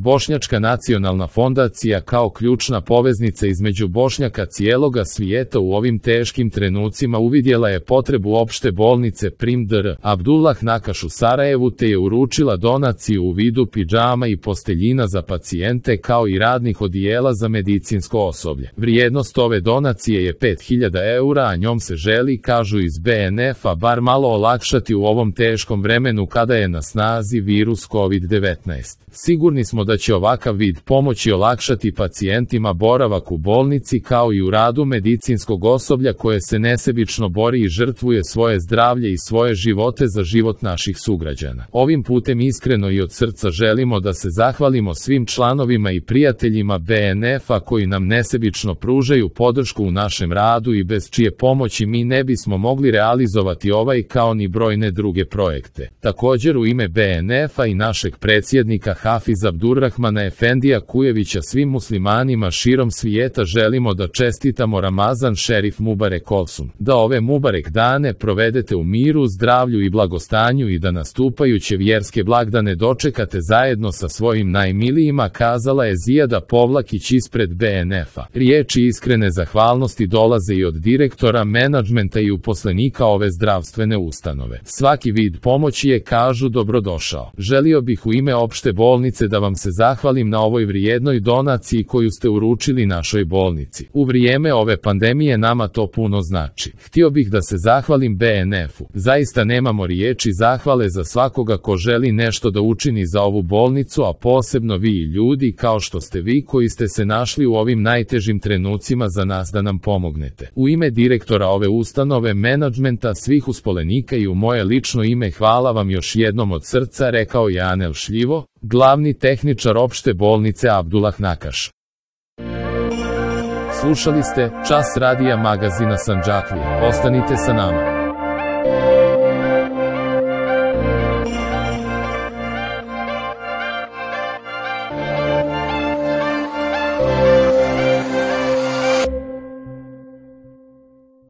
Bošnjačka nacionalna fondacija kao ključna poveznica između Bošnjaka cijeloga svijeta u ovim teškim trenucima uvidjela je potrebu opšte bolnice Prim dr. Abdullah Nakaš u Sarajevu te je uručila donaciju u vidu pidžama i posteljina za pacijente kao i radnih odijela za medicinsko osoblje. Vrijednost ove donacije je 5000 eura, a njom se želi, kažu iz BNF-a, bar malo olakšati u ovom teškom vremenu kada je na snazi virus COVID-19. Sigurni smo da će ovakav vid pomoći olakšati pacijentima boravak u bolnici kao i u radu medicinskog osoblja koje se nesebično bori i žrtvuje svoje zdravlje i svoje živote za život naših sugrađana. Ovim putem iskreno i od srca želimo da se zahvalimo svim članovima i prijateljima BNF-a koji nam nesebično pružaju podršku u našem radu i bez čije pomoći mi ne bismo mogli realizovati ovaj kao ni brojne druge projekte. Također u ime BNF-a i našeg predsjednika Hafiza Abdurrahmana Efendija Kujevića svim muslimanima širom svijeta želimo da čestitamo Ramazan Šerif Mubarek Olsun, da ove Mubarek dane provedete u miru, zdravlju i blagostanju i da nastupajuće vjerske blagdane dočekate zajedno sa svojim najmilijima, kazala je Zijada Povlakić ispred BNF-a. Riječi iskrene zahvalnosti dolaze i od direktora, menadžmenta i uposlenika ove zdravstvene ustanove. Svaki vid pomoći je, kažu, dobrodošao. Želio bih u ime opšte bolnice da vam se zahvalim na ovoj vrijednoj donaciji koju ste uručili našoj bolnici. U vrijeme ove pandemije nama to puno znači. Htio bih da se zahvalim BNF-u. Zaista nemamo riječi zahvale za svakoga ko želi nešto da učini za ovu bolnicu, a posebno vi ljudi kao što ste vi koji ste se našli u ovim najtežim trenucima za nas da nam pomognete. U ime direktora ove ustanove, menadžmenta, svih uspolenika i u moje lično ime hvala vam još jednom od srca, rekao je Anel Šljivo, glavni tehničar opšte bolnice Abdullah Nakaš. Slušali ste Čas radija magazina Sandžaklije. Ostanite sa nama.